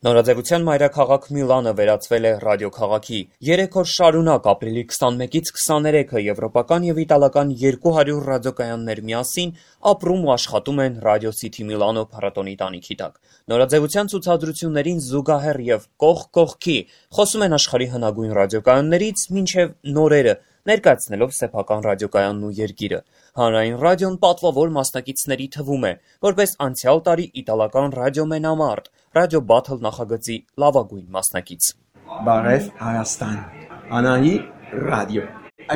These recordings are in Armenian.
Նորաձևության մայրաքաղաք Միլանը վերածվել է ռադիոքաղաքի։ 3 օր շարունակ ապրիլի 21-ից 23-ը եվրոպական եւ իտալական 200 ռադիոկայաններ միասին ապրում ու աշխատում են Ռադիո Սիթի Միլանո փառատոնի տանիքի տակ։ Նորաձևության ցուցադրություններին զուգահեռ եւ կողք կողքի խոսում են աշխարհի հնագույն ռադիոկայաններից մինչեւ նորերը, ներկայացնելով սեփական ռադիոկայանն ու երկիրը։ Հանրային ռադիոն պատվավոր մասնակիցների թվում է, որպես անցյալ տարի իտալական ռադիոմենամարտ, Ռադիո Բաթլ նախագծի լավագույն մասնակից։ Բարև Հայաստան, Անահի ռադիո։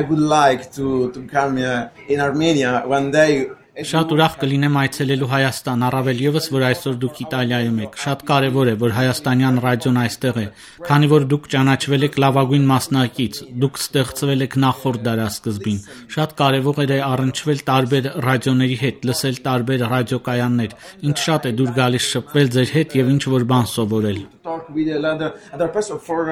I would like to come in Armenia one day. Շատ ուրախ կլինեմ այցելելու Հայաստան, առավել ևս, որ այսօր դուք Իտալիայում եք։ Շատ կարևոր է, որ հայաստանյան ռադիոն այստեղ է, քանի որ դուք ճանաչվել եք լավագույն մասնակից, դուք ստեղծվել եք նախորդ դարասկզբին։ Շատ կարևոր է առնչվել տարբեր ռադիոների հետ, լսել տարբեր ռադիոկայաններ։ Ինչ շատ է դուր գալիս շփվել ձեր հետ եւ ինչ որ բան սովորել։ Talk with another person for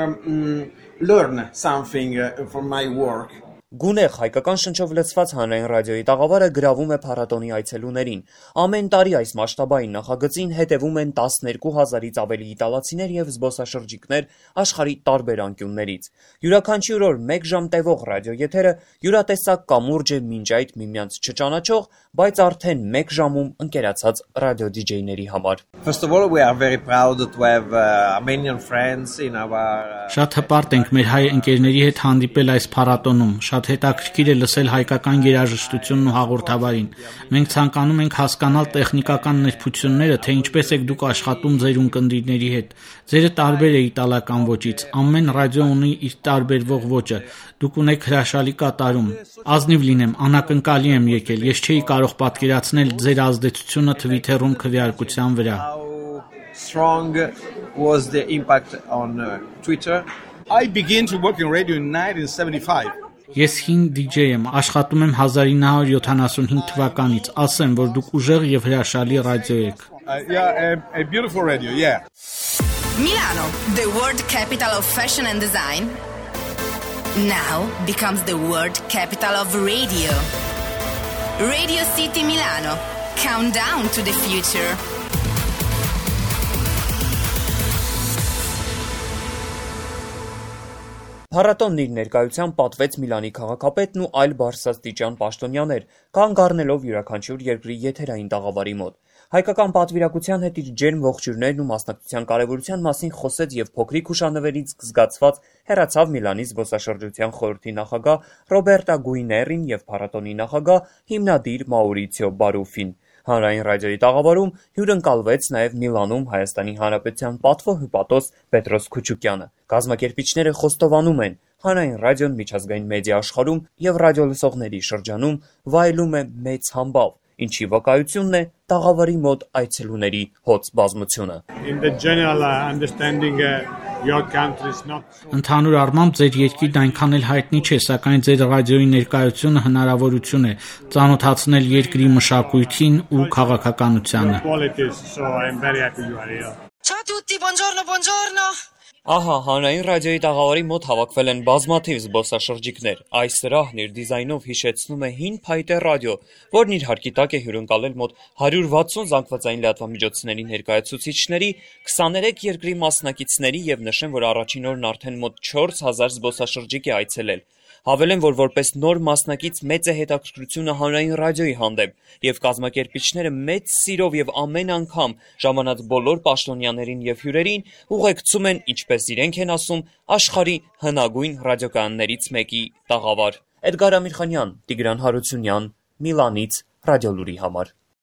learn something for my work. Գունեղ հայկական շնչով լցված հանրային ռադիոյի տաղավարը գրավում է փառատոնի այցելուներին։ Ամեն տարի այս մասշտաբային նախագծին հետևում են 12,000-ից ավելի իտալացիներ եւ զբոսաշրջիկներ աշխարհի տարբեր անկյուններից։ Յուրաքանչյուր օր 1 ժամ տևող ռադիոեթերը յուրատեսակ կամուրջ է մինչ այդ միմյանց չճանաչող, բայց արդեն 1 ժամում ընկերացած ռադիո դիջեյների համար։ First of all, we are very proud to have Armenian friends in our Շատ հպարտ ենք մեր հայ ընկերների հետ հանդիպել այս փառատոնում։ Շատ հետաքրքիր է լսել հայկական երաժշտությունն ու հաղորդավարին։ Մենք ցանկանում ենք հասկանալ տեխնիկական նրբությունները, թե ինչպես եք դուք աշխատում ձեր ունկնդիրների հետ։ Ձերը տարբեր է իտալական ոճից։ Ամեն ռադիո ունի իր տարբերվող ոճը։ Դուք ունեք հրաշալի կատարում։ Ազնիվ լինեմ, անակնկալի եմ եկել։ Ես չէի կարող պատկերացնել ձեր ազդեցությունը Twitter-ում քվեարկության վրա։ strong was the impact on Twitter. I began to work in radio in 1975. Ես հին DJ եմ, աշխատում եմ 1975 թվականից, ասեմ, որ դուք ուժեղ եւ հրաշալի ռադիո եք։ Yeah, a beautiful radio, yeah. Milano, the world capital of fashion and design, now becomes the world capital of radio. Radio City Milano, countdown to the future. Փառատոնն իր ներկայությամբ պատվեց Միլանի քաղաքապետն ու այլ բարձրաստիճան պաշտոնյաներ, կանգ առնելով յուրաքանչյուր երկրի եթերային տաղավարի մոտ։ Հայկական պատվիրակության հետ իր ջերմ ողջույններն ու մասնակցության կարևորության մասին խոսեց եւ փոքրիկ հուշանվերից զգացված հեռացավ Միլանի զբոսաշրջության խորհրդի նախագահ Ռոբերտա Գուիներին եւ փառատոնի նախագահ հիմնադիր Մաուրիցիո Բարուֆին։ Հանրային ռադիոյի տաղավարում հյուրընկալվեց նաև Միլանում Հայաստանի Հանրապետության պատվո-հյուպատոս Պետրոս Քուչուկյանը։ Կազմակերպիչները խոստովանում են, հանրային ռադիոն միջազգային մեդիա աշխարհում եւ ռադիոլսողների շրջանում վայելում է մեծ համբավ, ինչի վկայությունն է տաղավարի մոտ այցելուների հոծ բազմությունը։ Ընդհանուր առմամբ ձեր երկիրն այնքան էլ հայտնի չէ, սակայն ձեր ռադիոյի ներկայությունը հնարավորություն է ծանոթացնել երկրի մշակույթին ու քաղաքականությանը։ Ciao a tutti, buongiorno. Ահա, հանրային ռադիոյի տաղավարի մոտ հավաքվել են բազմաթիվ զբոսաշրջիկներ։ Այս սրահն իր դիզայնով հիշեցնում է հին փայտե ռադիո, որն իր հարկի տակ է հյուրընկալել մոտ 160 զանգվածային լրատվամիջոցների ներկայացուցիչների, 23 երկրի մասնակիցների եւ նշեմ, որ առաջին օրն արդեն մոտ 4000 զբոսաշրջիկ է այցելել։ Հավելեմ, որ որպես նոր մասնակից մեծ է հետաքրքրությունը հանրային ռադիոյի հանդեպ եւ կազմակերպիչները մեծ սիրով եւ ամեն անգամ ժամանած բոլոր պաշտոնյաներին եւ հյուրերին ուղեկցում են, ինչպես իրենք են ասում, աշխարհի հնագույն ռադիոկայաններից մեկի տաղավար։ Էդգար Ամիրխանյան, Տիգրան Հարությունյան, Միլանից, Ռադիոլուրի համար։